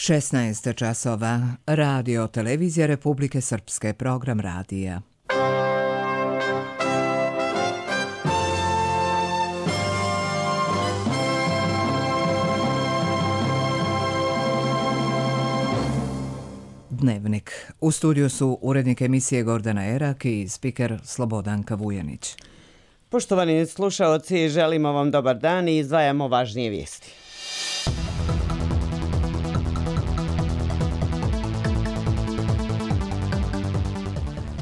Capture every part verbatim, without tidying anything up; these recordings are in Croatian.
šesnaest časova. Radio Televizija Republike Srpske, program radija. Dnevnik. U studiju su urednik emisije Gordana Erak i spiker Slobodanka Vujanić. Poštovani slušaoci, želimo vam dobar dan i izdvajamo važnije vijesti.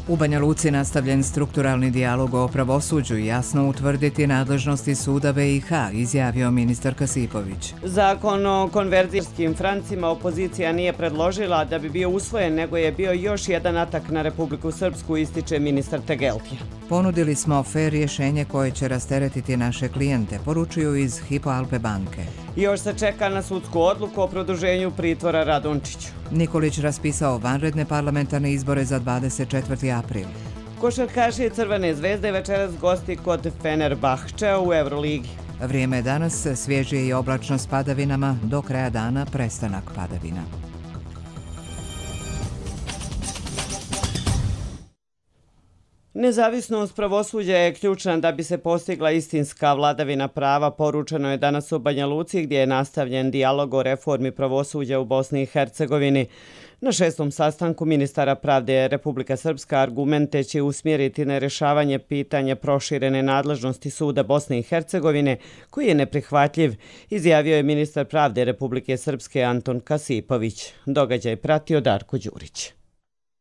U Banja Luci nastavljen strukturalni dijalog o pravosuđu i jasno utvrditi nadležnosti suda B i H, izjavio ministar Kasipović. Zakon o konverzijskim francima opozicija nije predložila da bi bio usvojen, nego je bio još jedan atak na Republiku Srpsku, ističe ministar Tegeltija. Ponudili smo fer rješenje koje će rasteretiti naše klijente, poručuju iz Hypo Alpe banke. Još se čeka na sudsku odluku o produženju pritvora Radončiću. Nikolić raspisao vanredne parlamentarne izbore za dvadeset četvrti april. Košarkaši Crvene zvezde večeras gosti kod Fenerbahčea u Euroligi. Vrijeme je danas svježije i oblačno s padavinama, do kraja dana prestanak padavina. Nezavisnost pravosuđa je ključna da bi se postigla istinska vladavina prava, poručeno je danas u Banja Luci, gdje je nastavljen dijalog o reformi pravosuđa u Bosni i Hercegovini. Na šestom sastanku ministara pravde Republika Srpska argumente će usmjeriti na rješavanje pitanja proširene nadležnosti suda Bosne i Hercegovine, koji je neprihvatljiv, izjavio je ministar pravde Republike Srpske Anton Kasipović. Događaj pratio Darko Đurić.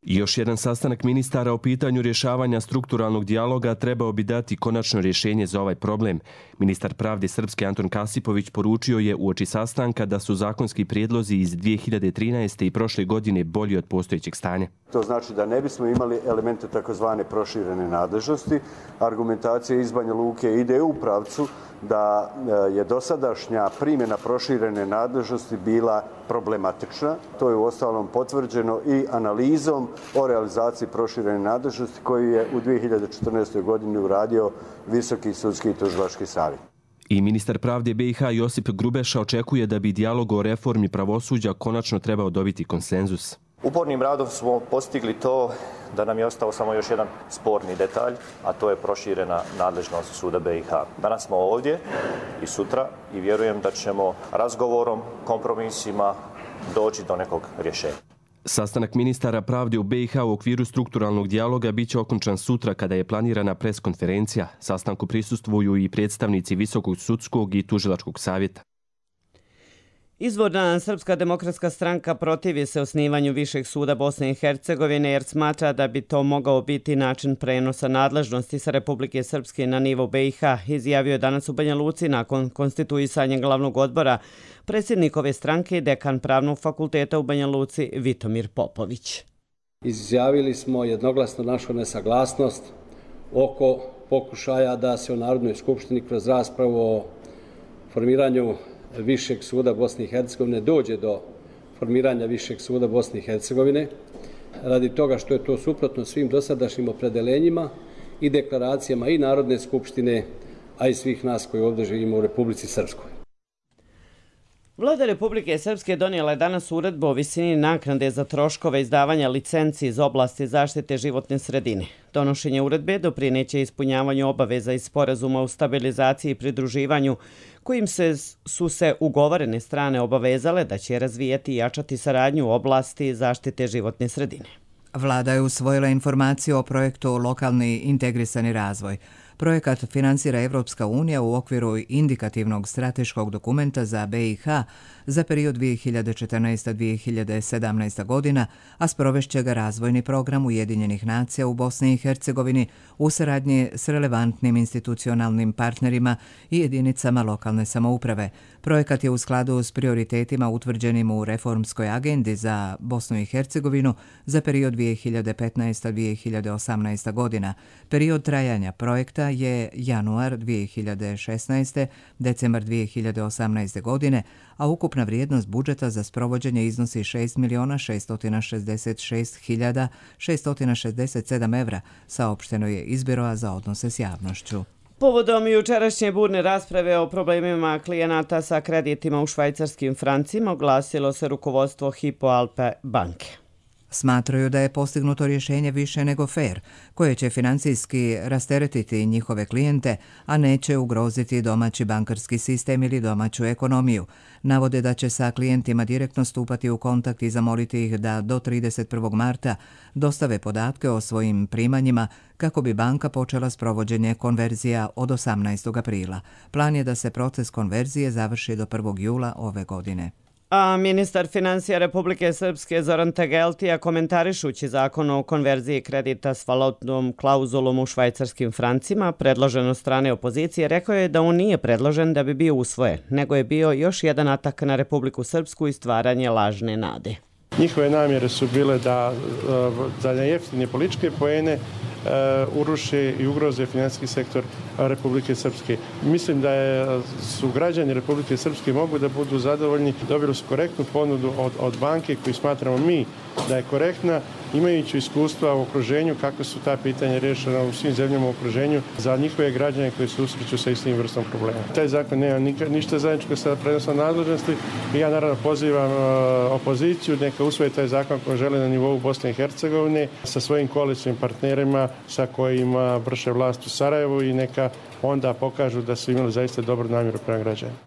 Još jedan sastanak ministara o pitanju rješavanja strukturalnog dijaloga trebao bi dati konačno rješenje za ovaj problem. Ministar pravde Srpske Anton Kasipović poručio je uoči sastanka da su zakonski prijedlozi iz dvije hiljade trinaeste. i prošle godine bolji od postojećeg stanja. To znači da ne bismo imali elemente takozvane proširene nadležnosti. Argumentacija iz Banja Luke ide u pravcu da je dosadašnja primjena proširene nadležnosti bila problematična. To je uostalom potvrđeno i analizom o realizaciji proširene nadležnosti koju je u dvije hiljade četrnaestoj. godini uradio Visoki sudski i tužilački savjet. I ministar pravde B i H Josip Grubeša očekuje da bi dijalog o reformi pravosuđa konačno trebao dobiti konsenzus. Upornim radom smo postigli to da nam je ostao samo još jedan sporni detalj, a to je proširena nadležnost suda B i H. Danas smo ovdje i sutra i vjerujem da ćemo razgovorom, kompromisima doći do nekog rješenja. Sastanak ministara pravde u B i H u okviru strukturalnog dijaloga bit će okončan sutra kada je planirana preskonferencija. Sastanku prisustvuju i predstavnici Visokog sudskog i tužilačkog savjeta. Izvorna Srpska demokratska stranka protivi se osnivanju Višeg suda Bosne i Hercegovine jer smatra da bi to mogao biti način prenosa nadležnosti sa Republike Srpske na nivo B i H, izjavio je danas u Banja Luci nakon konstituisanja glavnog odbora predsjednik ove stranke i dekan Pravnog fakulteta u Banja Luci Vitomir Popović. Izjavili smo jednoglasno našu nesaglasnost oko pokušaja da se u Narodnoj skupštini kroz raspravu o formiranju Višeg suda Bosne i Hercegovine dođe do formiranja Višeg suda Bosne i Hercegovine, radi toga što je to suprotno svim dosadašnjim opredeljenjima i deklaracijama i Narodne skupštine, a i svih nas koji ovdje živimo u Republici Srpskoj. Vlada Republike Srpske donijela je danas uredbu o visini naknade za troškove izdavanja licenci iz oblasti zaštite životne sredine. Donošenje uredbe doprineće ispunjavanju obaveza iz sporazuma o stabilizaciji i pridruživanju, kojim se, su se ugovorene strane obavezale da će razvijati i jačati saradnju u oblasti zaštite životne sredine. Vlada je usvojila informaciju o projektu Lokalni integrisani razvoj. Projekat financira Evropska unija u okviru indikativnog strateškog dokumenta za B i H za period dvije hiljade četrnaeste do dvije hiljade sedamnaeste. godina, a sprovešće ga razvojni program Ujedinjenih nacija u Bosni i Hercegovini u saradnji s relevantnim institucionalnim partnerima i jedinicama lokalne samouprave. Projekat je u skladu s prioritetima utvrđenim u reformskoj agendi za Bosnu i Hercegovinu za period dvije hiljade petnaeste do dvije hiljade osamnaeste. godina. Period trajanja projekta je januar dvije hiljade šesnaeste. decembar dvije hiljade osamnaeste. godine, a ukupna vrijednost budžeta za sprovođenje iznosi šest milijuna šesto šezdeset šest hiljada šesto šezdeset sedam evra, saopšteno je iz Biroa za odnose s javnošću. Povodom jučerašnje burne rasprave o problemima klijenata sa kreditima u švajcarskim francima oglasilo se rukovodstvo Hypo Alpe banke. Smatraju da je postignuto rješenje više nego fair, koje će financijski rasteretiti njihove klijente, a neće ugroziti domaći bankarski sistem ili domaću ekonomiju. Navode da će sa klijentima direktno stupati u kontakt i zamoliti ih da do trideset prvog marta dostave podatke o svojim primanjima kako bi banka počela s provođenje konverzija od osamnaestog aprila. Plan je da se proces konverzije završi do prvog jula ove godine. A ministar financija Republike Srpske Zoran Tegeltija, komentarišući zakon o konverziji kredita s valutnom klauzulom u švajcarskim francima, predložen od strane opozicije, rekao je da on nije predložen da bi bio usvojen, nego je bio još jedan atak na Republiku Srpsku i stvaranje lažne nade. Njihove namjere su bile da za jeftine političke poene uruše i ugroze financijski sektor Republike Srpske. Mislim da je, su građani Republike Srpske mogu da budu zadovoljni. Dobili su korektnu ponudu od, od banke koju smatramo mi da je korektna, imajući iskustva u okruženju kako su ta pitanja rješena u svim zemljama u okruženju za njihove građane koji se susreću sa istim vrstom problema. Taj zakon nema ništa zajedničko sa prenosom nadležnosti i ja naravno pozivam opoziciju neka usvoji taj zakon ako žele na nivou Bosne i Hercegovine sa svojim koalicijskim partnerima sa kojima vrše vlast u Sarajevu i neka onda pokažu da su imali zaista dobru namjeru prema građanima.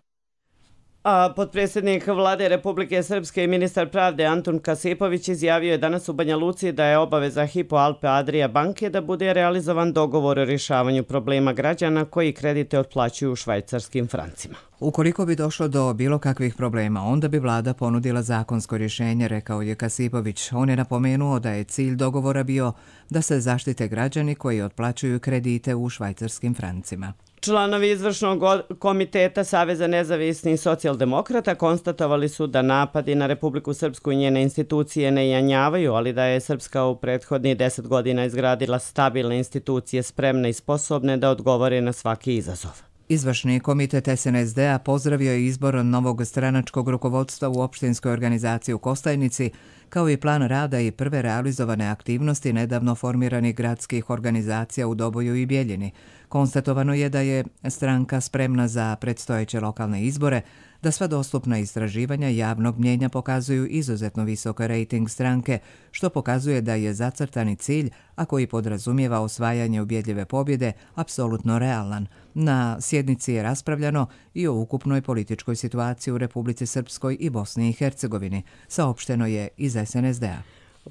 A potpredsjednik vlade Republike Srpske i ministar pravde Antun Kasipović izjavio je danas u Banja Luci da je obaveza Hypo Alpe Adria banke da bude realizovan dogovor o rješavanju problema građana koji kredite otplaćuju u švajcarskim francima. Ukoliko bi došlo do bilo kakvih problema, onda bi vlada ponudila zakonsko rješenje, rekao je Kasipović. On je napomenuo da je cilj dogovora bio da se zaštite građani koji otplaćuju kredite u švajcarskim francima. Članovi izvršnog komiteta Saveza nezavisnih socijaldemokrata konstatovali su da napadi na Republiku Srpsku i njene institucije ne janjavaju, ali da je Srpska u prethodnih deset godina izgradila stabilne institucije spremne i sposobne da odgovore na svaki izazov. Izvršni komitet S N S D-a pozdravio je izbor novog stranačkog rukovodstva u opštinskoj organizaciji u Kostajnici, kao i plan rada i prve realizovane aktivnosti nedavno formiranih gradskih organizacija u Doboju i Bjeljini. Konstatovano je da je stranka spremna za predstojeće lokalne izbore, da sva dostupna istraživanja javnog mnjenja pokazuju izuzetno visok rejting stranke, što pokazuje da je zacrtani cilj, a koji podrazumijeva osvajanje ubjedljive pobjede, apsolutno realan. Na sjednici je raspravljano i o ukupnoj političkoj situaciji u Republici Srpskoj i Bosni i Hercegovini, saopšteno je iz S N S D-a.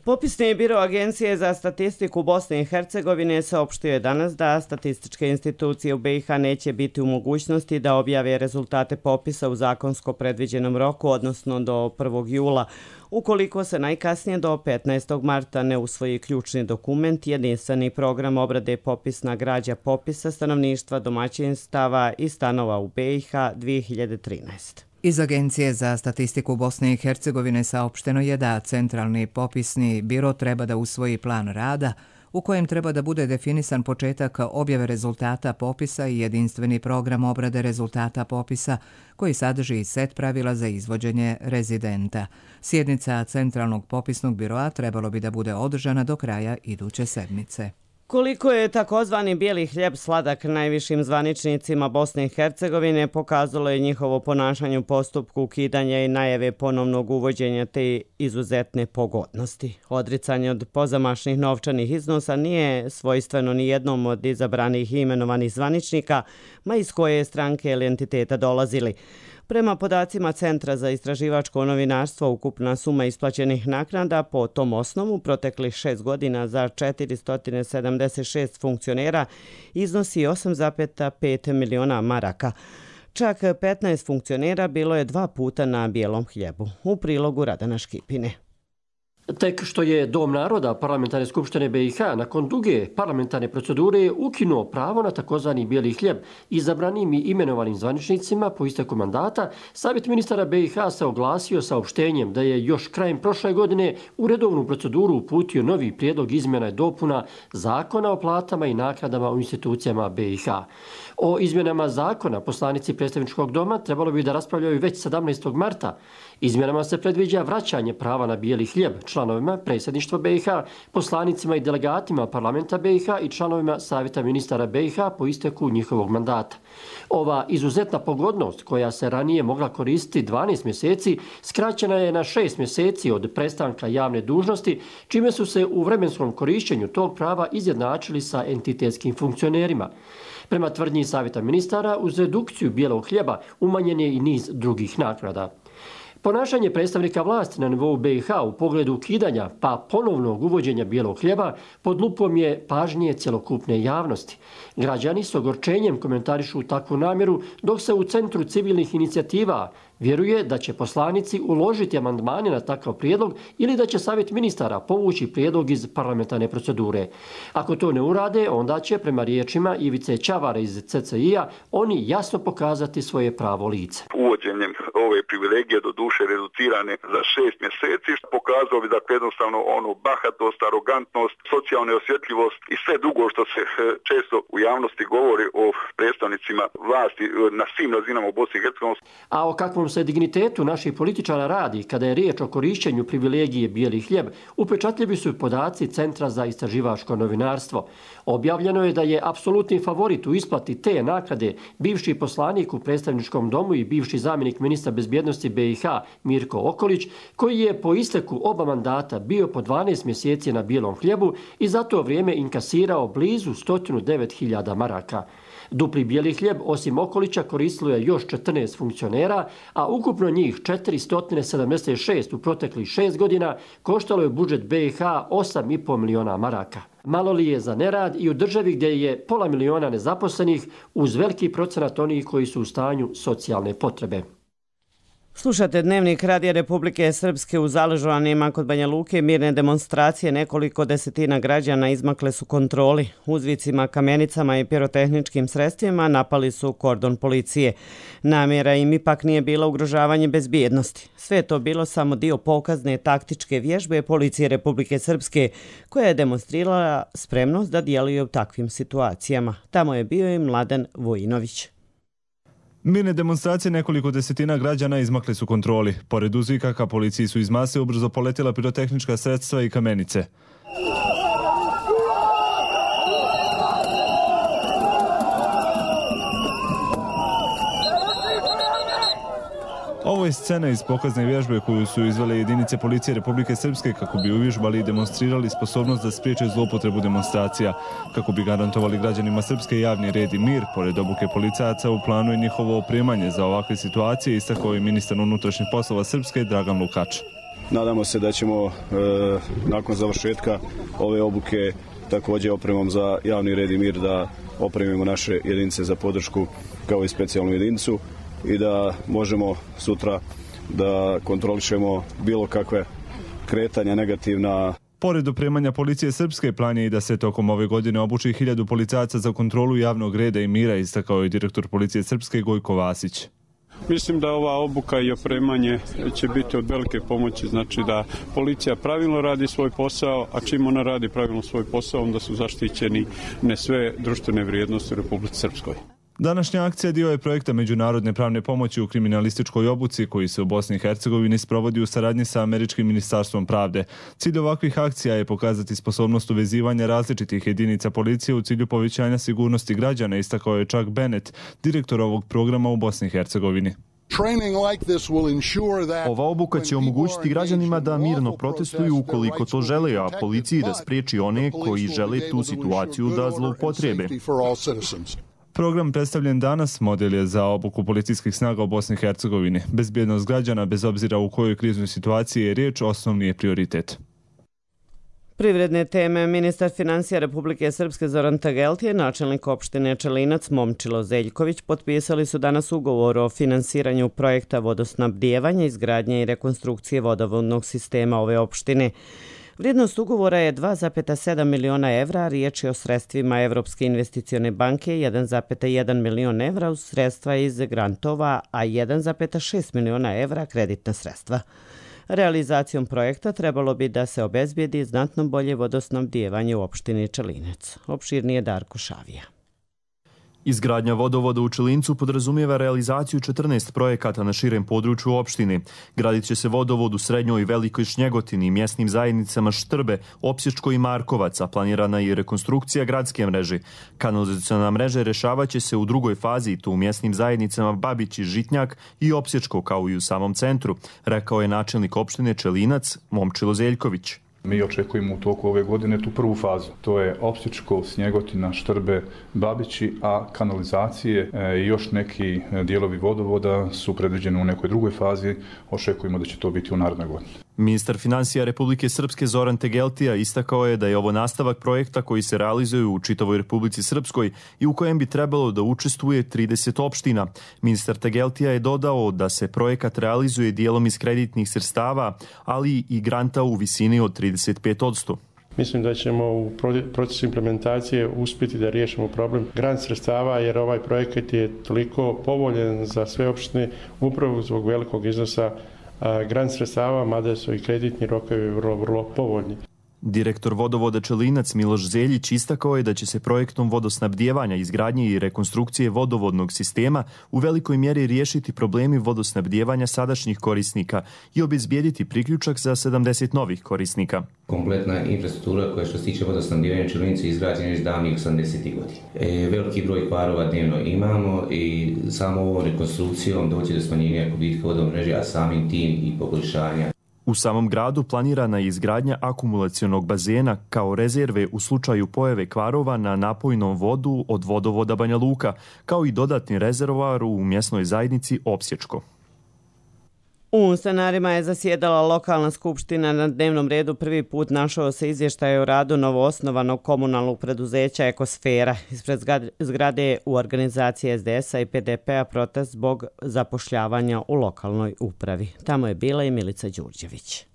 Popisni biro Agencije za statistiku Bosne i Hercegovine saopštio je danas da statističke institucije u B i H neće biti u mogućnosti da objave rezultate popisa u zakonsko predviđenom roku, odnosno do prvog jula, ukoliko se najkasnije do petnaestog marta ne usvoji ključni dokument, jedinstveni program obrade popisna građa popisa stanovništva, domaćinstava i stanova u B i H dvije hiljade trinaeste. Iz Agencije za statistiku Bosne i Hercegovine saopšteno je da Centralni popisni biro treba da usvoji plan rada u kojem treba da bude definisan početak objave rezultata popisa i jedinstveni program obrade rezultata popisa koji sadrži set pravila za izvođenje rezidenta. Sjednica Centralnog popisnog biroa trebalo bi da bude održana do kraja iduće sedmice. Koliko je takozvani bijeli hljeb sladak najvišim zvaničnicima Bosne i Hercegovine, pokazalo je njihovo ponašanje u postupku ukidanja i najave ponovnog uvođenja te izuzetne pogodnosti. Odricanje od pozamašnih novčanih iznosa nije svojstveno ni jednom od izabranih i imenovanih zvaničnika, ma iz koje stranke ili entiteta dolazili. Prema podacima Centra za istraživačko novinarstvo, ukupna suma isplaćenih naknada po tom osnovu proteklih šest godina za četiristo sedamdeset šest funkcionera iznosi osam zarez pet miliona maraka. Čak petnaest funkcionera bilo je dva puta na bijelom hljebu. U prilogu Radana Škipine. Tek što je Dom naroda Parlamentarne skupštine B i H nakon duge parlamentarne procedure ukinuo pravo na takozvani bijeli hljeb izabranim i imenovanim zvaničnicima po isteku mandata, Savjet ministara B i H se oglasio saopštenjem da je još krajem prošle godine u redovnu proceduru uputio novi prijedlog izmjena i dopuna Zakona o platama i naknadama u institucijama B i H. O izmjenama zakona poslanici predstavničkog doma trebalo bi da raspravljaju već sedamnaestog marta. Izmjenama se predviđa vraćanje prava na bijeli hljeb, članom članovima predsjedništva B i H, poslanicima i delegatima parlamenta B i H i članovima savjeta ministara B i H po isteku njihovog mandata. Ova izuzetna pogodnost, koja se ranije mogla koristiti dvanaest mjeseci, skraćena je na šest mjeseci od prestanka javne dužnosti, čime su se u vremenskom korišćenju tog prava izjednačili sa entitetskim funkcionerima. Prema tvrdnji savjeta ministara, uz redukciju bijelog hljeba umanjen je i niz drugih naknada. Ponašanje predstavnika vlasti na nivou B i H u pogledu ukidanja pa ponovnog uvođenja bijelog hljeba pod lupom je pažnje cjelokupne javnosti. Građani s ogorčenjem komentarišu takvu namjeru, dok se u Centru civilnih inicijativa vjeruje da će poslanici uložiti amandmane na takav prijedlog ili da će savjet ministara povući prijedlog iz parlamentarne procedure. Ako to ne urade, onda će, prema riječima Ivice Ćavara iz C C I-a, oni jasno pokazati svoje pravo lice. Uvođenjem ove privilegije, do duše reducirane za šest mjeseci, pokazao bi dakle jednostavno ono bahatost, arogantnost, socijalnu osjetljivost i sve drugo što se često u javnosti govori o predstavnicima vlasti na svim razinama u Bosni i Hercegovini. A o kakvom se dignitetu naših političara radi kada je riječ o korišćenju privilegije bijeli hljeb, upečatljivi su podaci Centra za istraživačko novinarstvo. Objavljeno je da je apsolutni favorit u isplati te naknade bivši poslanik u predstavničkom domu i bivši zamjenik ministra bezbjednosti B i H Mirko Okolić, koji je po isteku oba mandata bio po dvanaest mjeseci na bijelom hljebu i za to vrijeme inkasirao blizu sto devet hiljada maraka. Dupli bijeli hljeb osim Okolića koristilo je još četrnaest funkcionera, a ukupno njih četiristo sedamdeset šest u proteklih šest godina koštalo je budžet B i H osam i pol miliona maraka. Malo li je za nerad i u državi gdje je pola miliona nezaposlenih uz veliki procenat onih koji su u stanju socijalne potrebe. Slušate Dnevnik Radija Republike Srpske. U Zaležovanima kod Banja Luke mirne demonstracije nekoliko desetina građana izmakle su kontroli. Uzvicima, kamenicama i pirotehničkim sredstvima napali su kordon policije. Namjera im ipak nije bila ugrožavanje bezbjednosti. Sve je to bilo samo dio pokazne taktičke vježbe policije Republike Srpske, koja je demonstrirala spremnost da djeluje u takvim situacijama. Tamo je bio i Mladen Vojinović. Mirne demonstracije nekoliko desetina građana izmakle su kontroli. Pored uzvikaka policiji su iz mase ubrzo poletjela pirotehnička sredstva i kamenice. Ovo je scena iz pokazne vježbe koju su izvele jedinice policije Republike Srpske kako bi uvježbali i demonstrirali sposobnost da spriječe zloupotrebu demonstracija. Kako bi garantovali građanima Srpske javni red i mir, pored obuke policajaca u planu je njihovo opremanje za ovakve situacije, istakao je ministar unutrašnjih poslova Srpske Dragan Lukač. Nadamo se da ćemo e, nakon završetka ove obuke također opremom za javni red i mir da opremimo naše jedinice za podršku kao i specijalnu jedinicu i da možemo sutra da kontrolišemo bilo kakve kretanja negativna. Pored opremanja policije Srpske, plan je i da se tokom ove godine obuči hiljadu policajaca za kontrolu javnog reda i mira, istakao je direktor policije Srpske Gojko Vasić. Mislim da ova obuka i opremanje će biti od velike pomoći, znači da policija pravilno radi svoj posao, a čim ona radi pravilno svoj posao, onda su zaštićeni ne sve društvene vrijednosti u Republici Srpskoj. Današnja akcija dio je projekta međunarodne pravne pomoći u kriminalističkoj obuci koji se u Bosni i Hercegovini sprovodi u saradnji sa Američkim ministarstvom pravde. Cilj ovakvih akcija je pokazati sposobnost uvezivanja različitih jedinica policije u cilju povećanja sigurnosti građana, istakao je Chuck Bennett, direktor ovog programa u Bosni i Hercegovini. Ova obuka će omogućiti građanima da mirno protestuju ukoliko to žele, a policiji da spriječi one koji žele tu situaciju da zloupotrebe. Program predstavljen danas model je za obuku policijskih snaga u Bosni i Hercegovini. Bezbjednost građana, bez obzira u kojoj kriznoj situaciji je riječ, osnovni je prioritet. Privredne teme. Ministar financija Republike Srpske Zoran Tagelti i načelnik opštine Čelinac Momčilo Zeljković potpisali su danas ugovor o finansiranju projekta vodosnabdijevanja, izgradnje i rekonstrukcije vodovodnog sistema ove opštine. Vrijednost ugovora je dva zarez sedam miliona evra, riječ je o sredstvima Evropske investicione banke, jedan zarez jedan milion evra uz sredstva iz grantova, a jedan zarez šest miliona evra kreditna sredstva. Realizacijom projekta trebalo bi da se obezbijedi znatno bolje vodosnabdijevanje u opštini Čelinec. Opširnije Darko Šavija. Izgradnja vodovoda u Čilincu podrazumijeva realizaciju četrnaest projekata na širem području opštine. Gradit će se vodovod u Srednjoj i Velikoj Šnjegotini i mjesnim zajednicama Štrbe, Opsječko i Markovac, a planirana je i rekonstrukcija gradske mreže. Kanalizaciona mreža rešavat će se u drugoj fazi, tu u mjesnim zajednicama Babić i Žitnjak i Opsječko, kao i u samom centru, rekao je načelnik opštine Čelinac Momčilo Zeljković. Mi očekujemo u toku ove godine tu prvu fazu. To je Opsječko, Snjegotina, Štrbe, Babići, a kanalizacije i još neki dijelovi vodovoda su predviđeni u nekoj drugoj fazi. Očekujemo da će to biti u narednoj godini. Ministar financija Republike Srpske Zoran Tegeltija istakao je da je ovo nastavak projekta koji se realizuje u čitavoj Republici Srpskoj i u kojem bi trebalo da učestvuje trideset opština. Ministar Tegeltija je dodao da se projekat realizuje dijelom iz kreditnih sredstava, ali i granta u visini od trideset pet posto. Mislim da ćemo u procesu implementacije uspjeti da riješimo problem grant sredstava, jer ovaj projekat je toliko povoljen za sve opštine upravo zbog velikog iznosa grant sredstava, mada su i kreditni rokovi vrlo, vrlo povoljni. Direktor vodovoda Čelinac Miloš Zeljić istakao je da će se projektom vodosnabdijevanja, izgradnje i rekonstrukcije vodovodnog sistema u velikoj mjeri riješiti problemi vodosnabdijevanja sadašnjih korisnika i obezbijediti priključak za sedamdeset novih korisnika. Kompletna infrastruktura koja što se tiče vodosnabdijevanja Čelinicu izgrađena je iz davnih osamdesetih godina. E, veliki broj kvarova dnevno imamo i samo ovom rekonstrukcijom doći do smanjenja gubitka vodovne mreže, a samim tim i poboljšanja. U samom gradu planirana je izgradnja akumulacionog bazena kao rezerve u slučaju pojave kvarova na napojnom vodu od vodovoda Banja Luka, kao i dodatni rezervoar u mjesnoj zajednici Opsječko. U Stanarima je zasjedala lokalna skupština. Na dnevnom redu prvi put našao se izvještaj o radu novoosnovanog komunalnog preduzeća Ekosfera. Ispred zgrade u organizaciji S D S-a i P D P-a protest zbog zapošljavanja u lokalnoj upravi. Tamo je bila i Milica Đurđević.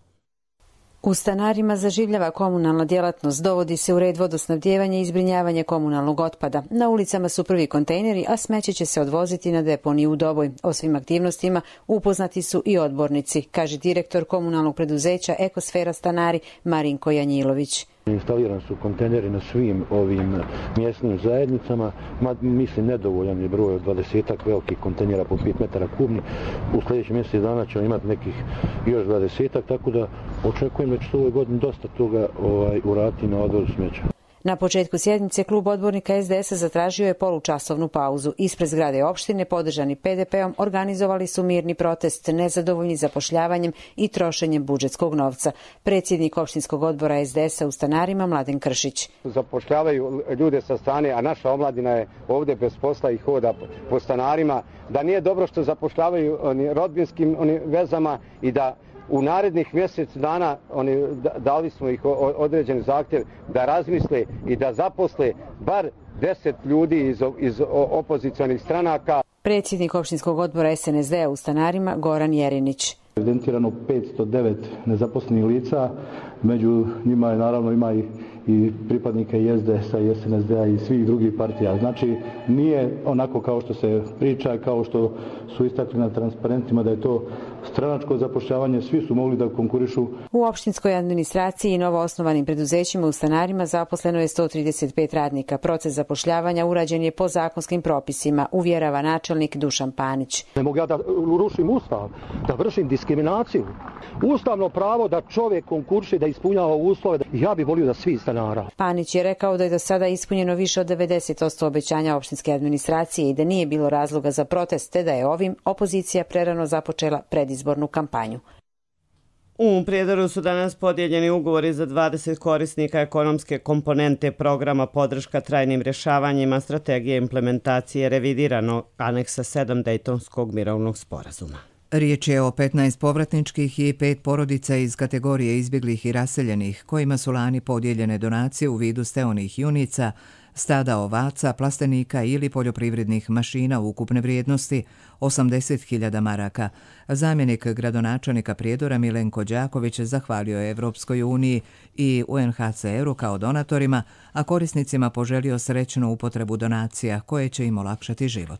U Stanarima zaživljava komunalna djelatnost, dovodi se u red vodosnabdijevanje i zbrinjavanje komunalnog otpada. Na ulicama su prvi kontejneri, a smeće će se odvoziti na deponiju u Doboj. O svim aktivnostima upoznati su i odbornici, kaže direktor komunalnog preduzeća Ekosfera Stanari Marinko Janjilović. Instalirani su kontejneri na svim ovim mjesnim zajednicama, ma, mislim nedovoljan je broj od dvadesetak velikih kontejnera po pet metara kubni. U sljedećih mjesec dana ćemo imati nekih još dvadesetak, tako da očekujem da će se u ovoj godini dosta toga ovaj, uraditi na odvozu smeća. Na početku sjednice klub odbornika S D S-a zatražio je polučasovnu pauzu. Ispred zgrade opštine, podržani P D P-om, organizovali su mirni protest, nezadovoljni zapošljavanjem i trošenjem budžetskog novca. Predsjednik opštinskog odbora S D S-a u Stanarima Mladen Kršić. Zapošljavaju ljude sa strane, a naša omladina je ovdje bez posla i hoda po Stanarima. Da nije dobro što zapošljavaju oni rodbinskim oni vezama i da u narednih mjesec dana oni dali smo ih određen zahtjev da razmisle i da zaposle bar deset ljudi iz, iz opozicionih stranaka. Predsjednik opštinskog odbora S N S D-a u Stanarima Goran Jerinić. Evidentirano petsto devet nezaposlenih lica, među njima je naravno ima i, i pripadnika i S D S-a i S N S D-a i svih drugih partija. Znači nije onako kao što se priča, kao što su istakli na transparentima da je to stranačko zapošljavanje, svi su mogli da konkurišu. U opštinskoj administraciji i novoosnovanim preduzećima u Stanarima zaposleno je sto trideset pet radnika. Proces zapošljavanja urađen je po zakonskim propisima, uvjerava načelnik Dušan Panić. Ne mogu ja da rušim ustav, da vršim diskriminaciju. Ustavno pravo da čovjek konkurši, da ispunjava uslove, ja bih volio da svi Stanara. Panić je rekao da je do sada ispunjeno više od devedeset posto obećanja opštinske administracije i da nije bilo razloga za protest, te da je ovim opozicija prerano započela predizbornu kampanju. U Prijedoru su danas podijeljeni ugovori za dvadeset korisnika ekonomske komponente programa podrška trajnim rješavanjima strategije implementacije revidiranog aneksa sedam Dejtonskog mirovnog sporazuma. Riječ je o petnaest povratničkih i pet porodica iz kategorije izbjeglih i raseljenih, kojima su lani podijeljene donacije u vidu steonih junica, stada ovaca, plastenika ili poljoprivrednih mašina ukupne vrijednosti osamdeset hiljada maraka. Zamjenik gradonačelnika Prijedora Milenko Đaković zahvalio je Evropskoj uniji i U N H C R-u kao donatorima, a korisnicima poželio srećnu upotrebu donacija koje će im olakšati život.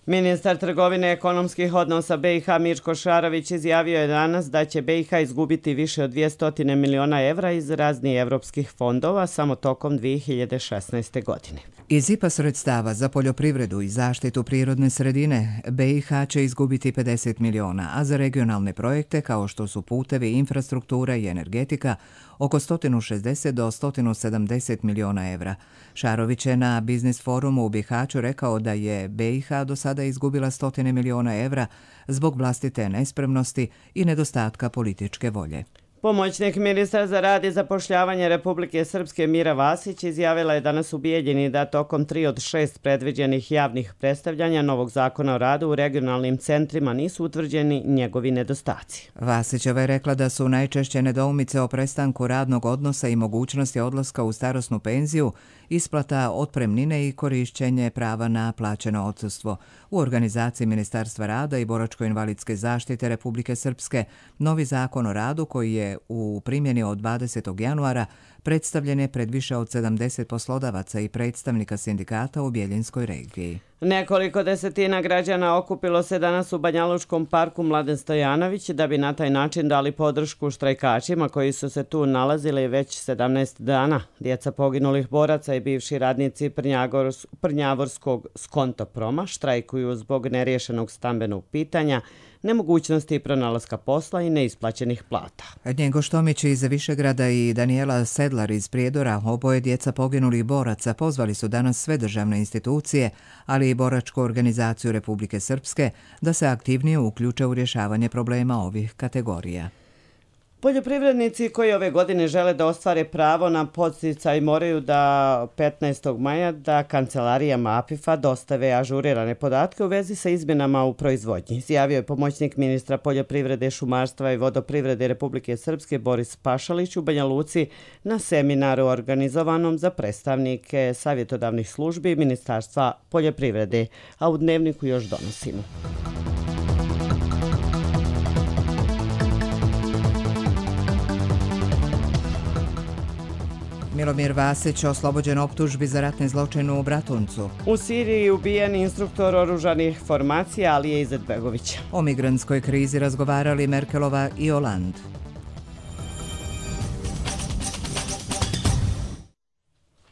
Ministar trgovine i ekonomskih odnosa B i H Mirko Šarović izjavio je danas da će B i H izgubiti više od dvjesto miliona evra iz raznih evropskih fondova samo tokom dvije hiljade šesnaeste. godine. Iz I P A sredstava za poljoprivredu i zaštitu prirodne sredine B i H će izgubiti pedeset miliona, a za regionalne projekte kao što su putevi, infrastruktura i energetika oko sto šezdeset do sto sedamdeset miliona evra. Šarović je na Biznis forumu u Bihaću rekao da je B i H do sada izgubila stotine miliona evra zbog vlastite nespremnosti i nedostatka političke volje. Pomoćnik ministra za rad i zapošljavanje Republike Srpske Mira Vasić izjavila je danas u Bijeljini da tokom tri od šest predviđenih javnih predstavljanja novog zakona o radu u regionalnim centrima nisu utvrđeni njegovi nedostaci. Vasićeva je rekla da su najčešće nedoumice o prestanku radnog odnosa i mogućnosti odlaska u starosnu penziju, isplata otpremnine i korišćenje prava na plaćeno odsustvo. U organizaciji Ministarstva rada i boračko-invalidske zaštite Republike Srpske novi zakon o radu koji je u primjeni od dvadesetog januara predstavljen je pred više od sedamdeset poslodavaca i predstavnika sindikata u Bijeljinskoj regiji. Nekoliko desetina građana okupilo se danas u Banjalučkom parku Mladen Stojanović da bi na taj način dali podršku štrajkačima koji su se tu nalazili već sedamnaest dana. Djeca poginulih boraca i bivši radnici Prnjavorskog Skontoproma štrajkuju zbog neriješenog stambenog pitanja, nemogućnosti pronalaska posla i neisplaćenih plata. Njengo Štomić iz Višegrada i Danijela Sedlar iz Prijedora, oboje djeca poginulih boraca, pozvali su danas sve državne institucije, ali i boračku organizaciju Republike Srpske, da se aktivnije uključe u rješavanje problema ovih kategorija. Poljoprivrednici koji ove godine žele da ostvare pravo na podsticaj moraju da petnaestog maja da kancelarijama A P I F-a dostave ažurirane podatke u vezi sa izmjenama u proizvodnji. Izjavio je pomoćnik ministra poljoprivrede, šumarstva i vodoprivrede Republike Srpske Boris Pašalić u Banja Luci na seminaru organizovanom za predstavnike savjetodavnih službi Ministarstva poljoprivrede, a u Dnevniku još donosimo. Milomir Vasić oslobođen optužbi za ratne zločine u Bratuncu. U Siriji ubijen instruktor oružanih formacija Alije Izetbegovića. O migrantskoj krizi razgovarali Merkelova i Hollande.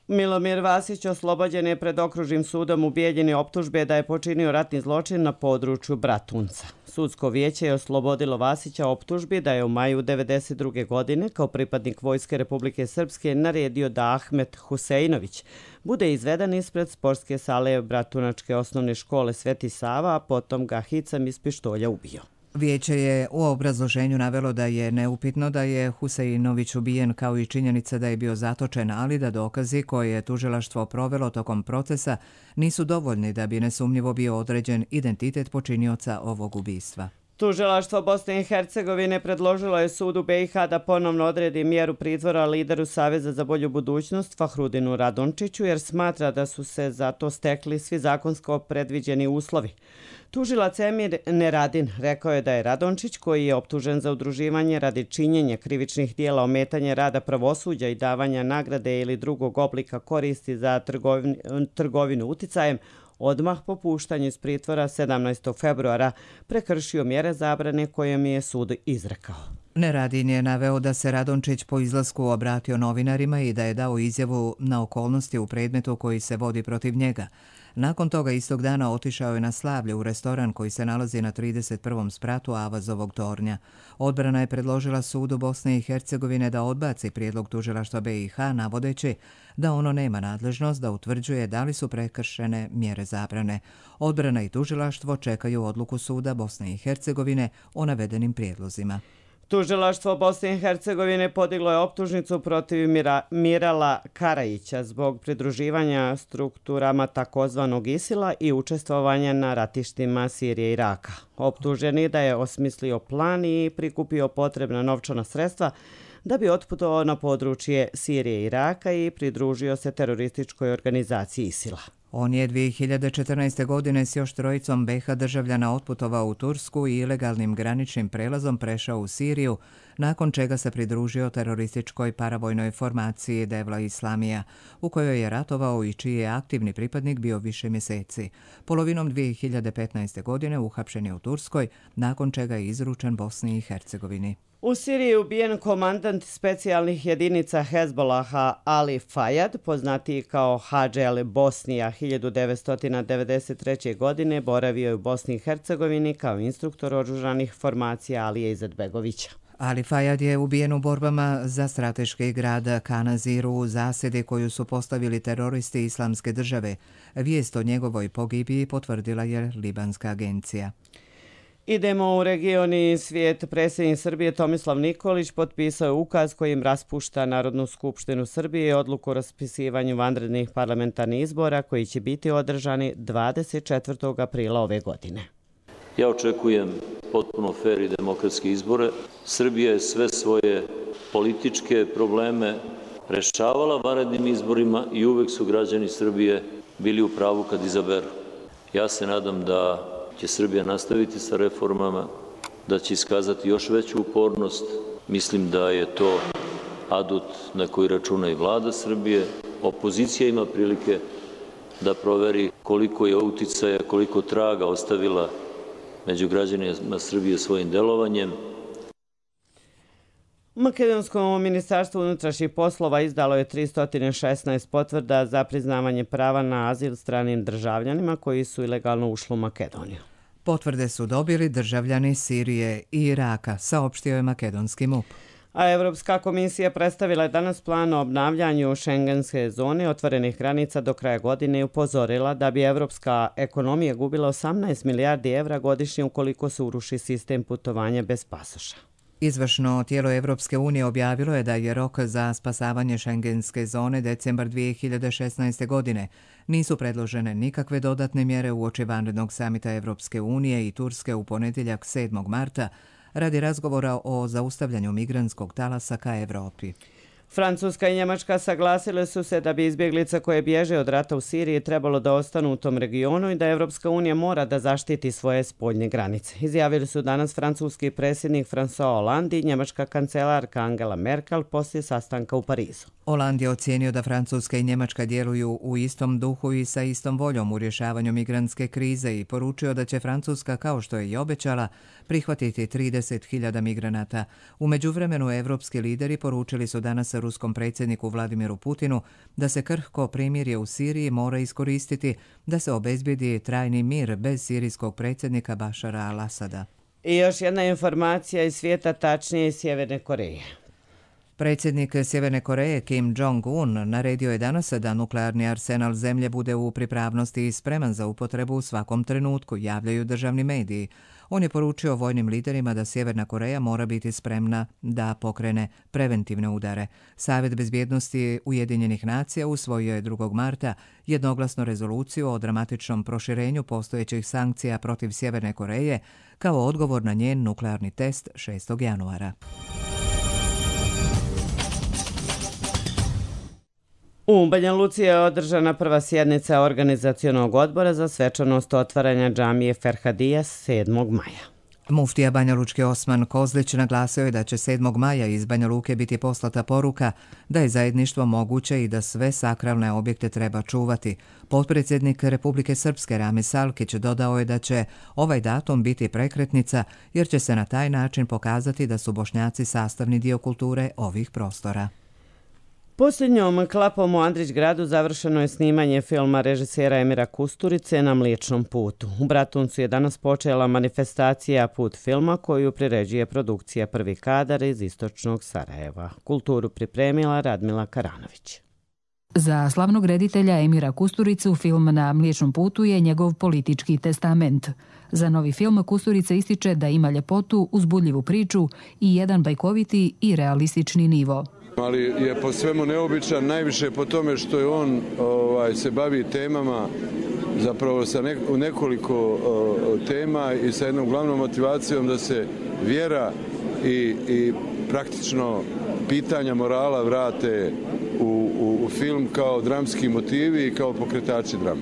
Milomir Vasić oslobođen je pred okružnim sudom u Bijeljini optužbe da je počinio ratni zločin na području Bratunca. Sudsko vijeće je oslobodilo Vasića optužbi da je u maju devedeset druge. godine kao pripadnik Vojske Republike Srpske naredio da Ahmet Huseinović bude izveden ispred sportske sale Bratunačke osnovne škole Sveti Sava, a potom ga hicam iz pištolja ubio. Vijeće je u obrazloženju navelo da je neupitno da je Huseinović ubijen kao i činjenica da je bio zatočen, ali da dokazi koje je tužilaštvo provelo tokom procesa nisu dovoljni da bi nesumnjivo bio određen identitet počinioca ovog ubistva. Tužilaštvo Bosne i Hercegovine predložilo je sudu B i H da ponovno odredi mjeru pritvora lideru Saveza za bolju budućnost Fahrudinu Radončiću jer smatra da su se za to stekli svi zakonsko predviđeni uslovi. Tužilac Emir Neradin rekao je da je Radončić, koji je optužen za udruživanje radi činjenja krivičnih dijela ometanja rada pravosuđa i davanja nagrade ili drugog oblika koristi za trgovinu, trgovinu uticajem, odmah po puštanju iz pritvora sedamnaestog februara prekršio mjere zabrane koje mi je sud izrekao. Neradin je naveo da se Radončić po izlasku obratio novinarima i da je dao izjavu na okolnosti u predmetu koji se vodi protiv njega. Nakon toga istog dana otišao je na slavlje u restoran koji se nalazi na trideset prvom spratu Avazovog tornja. Odbrana je predložila sudu Bosne i Hercegovine da odbaci prijedlog tužilaštva B i H navodeći da ono nema nadležnost da utvrđuje da li su prekršene mjere zabrane. Odbrana i tužilaštvo čekaju odluku suda Bosne i Hercegovine o navedenim prijedlozima. Tužilaštvo Bosne i Hercegovine podiglo je optužnicu protiv Mira, Mirala Karajića zbog pridruživanja strukturama takozvanog Isila i učestvovanja na ratištima Sirije i Iraka. Optuženi da je osmislio plan i prikupio potrebna novčana sredstva da bi otputovao na područje Sirije i Iraka i pridružio se terorističkoj organizaciji Isila. On je dvije hiljade četrnaeste. godine s još trojicom be ha državljana otputovao u Tursku i ilegalnim graničnim prelazom prešao u Siriju, nakon čega se pridružio terorističkoj paravojnoj formaciji Devla Islamija, u kojoj je ratovao i čiji je aktivni pripadnik bio više mjeseci. Polovinom dvije hiljade petnaeste. godine uhapšen je u Turskoj, nakon čega je izručen Bosni i Hercegovini. U Siriji je ubijen komandant specijalnih jedinica Hezbolaha Ali Fayad, poznatiji kao Hadži al Bosnija. hiljadu devetsto devedeset treće. godine boravio je u Bosni i Hercegovini kao instruktor oružanih formacija Alije Izetbegovića. Ali Fayad je ubijen u borbama za strateški grad Kanaziru u zasjedi koju su postavili teroristi Islamske države. Vijest o njegovoj pogibiji potvrdila je libanska agencija. Idemo u region i svijet. Predsjednik Srbije Tomislav Nikolić potpisao je ukaz kojim raspušta Narodnu skupštinu Srbije i odluku o raspisivanju vanrednih parlamentarnih izbora koji će biti održani dvadeset četvrtog aprila ove godine. Ja očekujem potpuno fer i demokratske izbore. Srbija je sve svoje političke probleme rešavala vanrednim izborima i uvek su građani Srbije bili u pravu kad izaberu. Ja se nadam da će Srbija nastaviti sa reformama, da će iskazati još veću upornost. Mislim da je to adut na koji računa i vlada Srbije. Opozicija ima prilike da proveri koliko je uticaja, koliko traga ostavila među građanima Srbije svojim delovanjem. Makedonsko ministarstvo unutrašnjih poslova izdalo je tristo šesnaest potvrda za priznavanje prava na azil stranim državljanima koji su ilegalno ušli u Makedoniju. Potvrde su dobili državljani Sirije i Iraka, saopštio je makedonski MUP. A Evropska komisija predstavila je danas plan o obnavljanju šengenske zone otvorenih granica do kraja godine i upozorila da bi evropska ekonomija gubila osamnaest milijardi evra godišnje ukoliko se uruši sistem putovanja bez pasoša. Izvršno tijelo Evropske unije objavilo je da je rok za spasavanje šengenske zone decembar dvije hiljade šesnaeste. godine. Nisu predložene nikakve dodatne mjere uoči vanrednog samita Evropske unije i Turske u ponedjeljak sedmog marta radi razgovora o zaustavljanju migrantskog talasa ka Evropi. Francuska i Njemačka saglasile su se da bi izbjeglice koje bježe od rata u Siriji trebalo da ostanu u tom regionu i da Evropska unija mora da zaštiti svoje spoljne granice. Izjavili su danas francuski predsjednik François Hollande i njemačka kancelarka Angela Merkel poslije sastanka u Parizu. Hollande je ocijenio da Francuska i Njemačka djeluju u istom duhu i sa istom voljom u rješavanju migrantske krize i poručio da će Francuska, kao što je i obećala, prihvatiti trideset hiljada migranata. U međuvremenu evropski lideri poručili su danas ruskom predsjedniku Vladimiru Putinu da se krhko primirje u Siriji mora iskoristiti da se obezbedi trajni mir bez sirijskog predsjednika Bašara al-Asada. I još jedna informacija iz svijeta, tačnije iz Sjeverne Koreje. Predsjednik Sjeverne Koreje Kim Jong-un naredio je danas da nuklearni arsenal zemlje bude u pripravnosti i spreman za upotrebu u svakom trenutku, javljaju državni mediji. On je poručio vojnim liderima da Sjeverna Koreja mora biti spremna da pokrene preventivne udare. Savjet bezbjednosti Ujedinjenih nacija usvojio je drugog marta jednoglasno rezoluciju o dramatičnom proširenju postojećih sankcija protiv Sjeverne Koreje kao odgovor na njen nuklearni test šestog januara. U Banja Luci je održana prva sjednica organizacionog odbora za svečanost otvaranja džamije Ferhadija sedmog maja. Muftija Banja Lučke Osman Kozlić naglasio je da će sedmog maja iz Banja Luke biti poslata poruka da je zajedništvo moguće i da sve sakralne objekte treba čuvati. Potpredsjednik Republike Srpske Rami Salkić dodao je da će ovaj datum biti prekretnica jer će se na taj način pokazati da su Bošnjaci sastavni dio kulture ovih prostora. Posljednjom klapom u Andrićgradu završeno je snimanje filma režisera Emira Kusturice Na mliječnom putu. U Bratuncu je danas počela manifestacija Put filma koju priređuje produkcija Prvi kadar iz istočnog Sarajeva. Kulturu pripremila Radmila Karanović. Za slavnog reditelja Emira Kusturicu film Na mliječnom putu je njegov politički testament. Za novi film Kusturica ističe da ima ljepotu, uzbudljivu priču i jedan bajkoviti i realistični nivo. Ali je po svemu neobičan, najviše po tome što je on ovaj, se bavi temama, zapravo sa ne, nekoliko o, tema i sa jednom glavnom motivacijom da se vjera i, i praktično pitanja morala vrate u, u, u film kao dramski motivi i kao pokretači drame.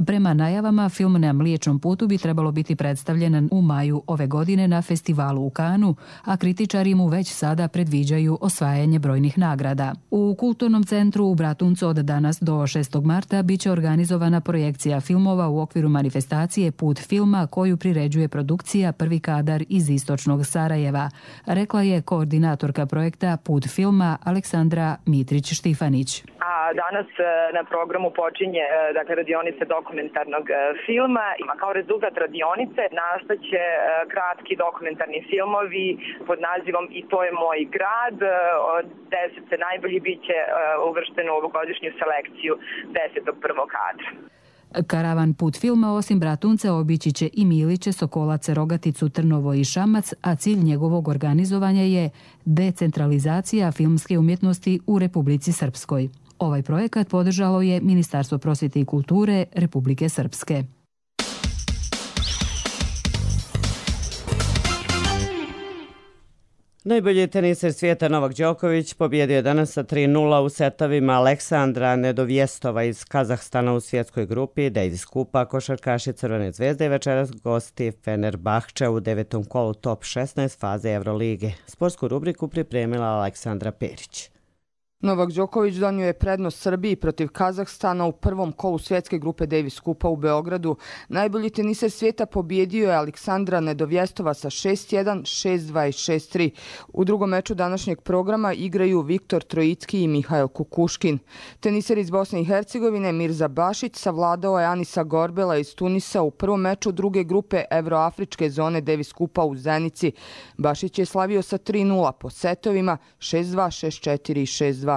Prema najavama, film Na mliječnom putu bi trebalo biti predstavljen u maju ove godine na festivalu u Kanu, a kritičari mu već sada predviđaju osvajanje brojnih nagrada. U Kulturnom centru u Bratuncu od danas do šestog marta biće organizovana projekcija filmova u okviru manifestacije Put filma koju priređuje produkcija Prvi kadar iz istočnog Sarajeva, rekla je koordinatorka projekta Put filma Aleksandra Mitrić-Štifanić. A danas na programu počinje dakle, radionice dokumentarnog filma. Kao rezultat radionice nastaće kratki dokumentarni filmovi pod nazivom I to je moj grad. Od deset najbolji biće uvršteno u ovogodišnju selekciju desetog prvog kadra. Karavan Put filma osim Bratunca obići će i Miliće, Sokolace, Rogaticu, Trnovo i Šamac, a cilj njegovog organizovanja je decentralizacija filmske umjetnosti u Republici Srpskoj. Ovaj projekat podržalo je Ministarstvo prosvjete i kulture Republike Srpske. Najbolji teniser svijeta Novak Đoković pobjedio je danas sa tri nula u setovima Aleksandra Nedovjestova iz Kazahstana u svjetskoj grupi Davis Kupa. Košarkaši Crvene zvezde i večeras gosti Fenerbahče u devetom kolu top šesnaest faze Evrolige. Sportsku rubriku pripremila Aleksandra Perić. Novak Đoković donio je prednost Srbiji protiv Kazahstana u prvom kolu svjetske grupe Davis Kupa u Beogradu. Najbolji teniser svijeta pobjedio je Aleksandra Nedovjestova sa šest jedan, šest dva i šest tri. U drugom meču današnjeg programa igraju Viktor Trojicki i Mihail Kukuškin. Teniser iz Bosne i Hercegovine Mirza Bašić savladao je Anisa Gorbela iz Tunisa u prvom meču druge grupe Evroafričke zone Davis Kupa u Zenici. Bašić je slavio sa tri nula po setovima šest dva, šest četiri i šest dva.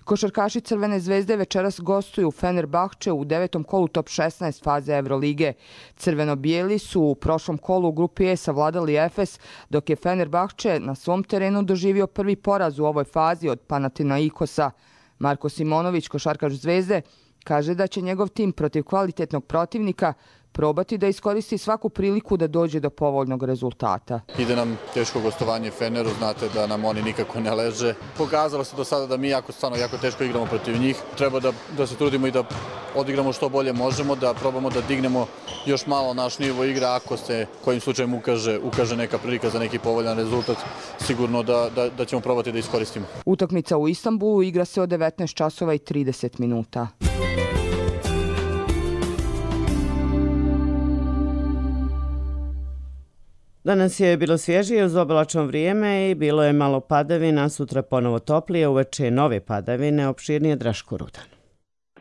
Košarkaši Crvene zvezde večeras gostuju u Fenerbahče u devetom kolu top šesnaest faze Evrolige. Crveno-bijeli su u prošlom kolu u grupi E savladali Efes, dok je Fenerbahče na svom terenu doživio prvi poraz u ovoj fazi od Panathinaikosa. Marko Simonović, košarkaš Zvezde, kaže da će njegov tim protiv kvalitetnog protivnika probati da iskoristi svaku priliku da dođe do povoljnog rezultata. Ide nam teško gostovanje Feneru, znate da nam oni nikako ne leže. Pokazalo se do sada da mi jako, stvarno, jako teško igramo protiv njih. Treba da, da se trudimo i da odigramo što bolje možemo, da probamo da dignemo još malo naš nivo igre ako se kojim slučajem ukaže, ukaže neka prilika za neki povoljan rezultat. Sigurno da, da, da ćemo probati da iskoristimo. Utakmica u Istanbulu igra se od devetnaest časova i trideset minuta. Danas je bilo svježije uz oblačno vrijeme i bilo je malo padavina, sutra ponovo toplije, uveče nove padavine, opširnije Draško Rudan.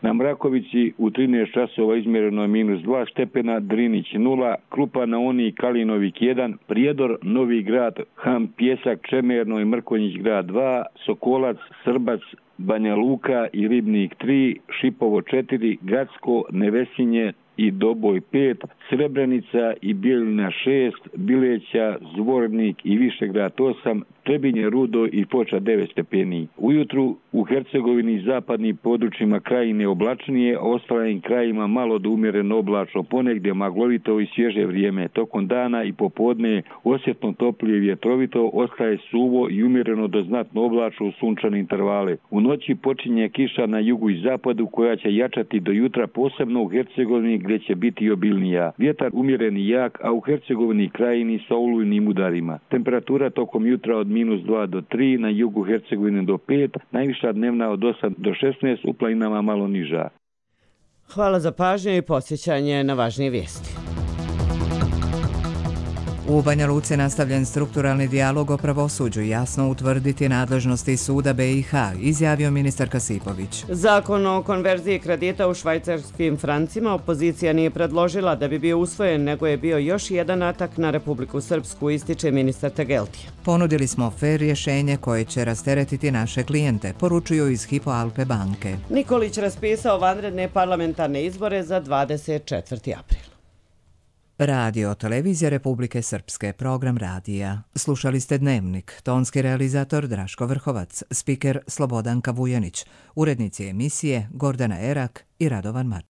Na Mrakovici u trinaest časova izmjereno je minus dva stepena, Drinić nula, Krupa na Oni, Kalinovik jedan, Prijedor, Novi grad, Ham, Pjesak, Čemerno i Mrkonjić grad dva, Sokolac, Srbac, Banja Luka i Ribnik tri, Šipovo četiri, Gacko, Nevesinje i Doboj pet, Srebrenica i Bijeljina šest, Bileća, Zvornik i Višegrad osam, Trebinje, Rudo i Foča devet stepeni. Ujutru u Hercegovini i zapadnim područjima krajine oblačnije, a ostalim krajima malo do umjereno oblačno, ponegdje maglovito i svježe vrijeme. Tokom dana i popodne osjetno toplije i vjetrovito, ostaje suvo i umjereno do znatno oblačno u sunčane intervale. U noći počinje kiša na jugu i zapadu koja će jačati do jutra, posebno u Hercegovini gdje će biti obilnija. Vjetar umjeren i jak, a u Hercegovini krajini sa olujnim udarima. Temperatura tokom jutra od minus dva do tri, na jugu Hercegovine do pet, najviša dnevna od osam do šesnaest, u planinama malo niža. Hvala za pažnju i podsjećanje na važnije vijesti. U Banja Luci nastavljen strukturalni dijalog o pravosuđu, jasno utvrditi nadležnosti suda B i H, izjavio ministar Kasipović. Zakon o konverziji kredita u švajcarskim francima opozicija nije predložila da bi bio usvojen, nego je bio još jedan atak na Republiku Srpsku, ističe ministar Tegeltija. Ponudili smo fer rješenje koje će rasteretiti naše klijente, poručuju iz Hypo Alpe banke. Nikolić raspisao vanredne parlamentarne izbore za dvadeset četvrti april. Radio Televizija Republike Srpske, program radija. Slušali ste Dnevnik, tonski realizator Draško Vrhovac, spiker Slobodanka Vujanić, urednici emisije Gordana Erak i Radovan Marčić.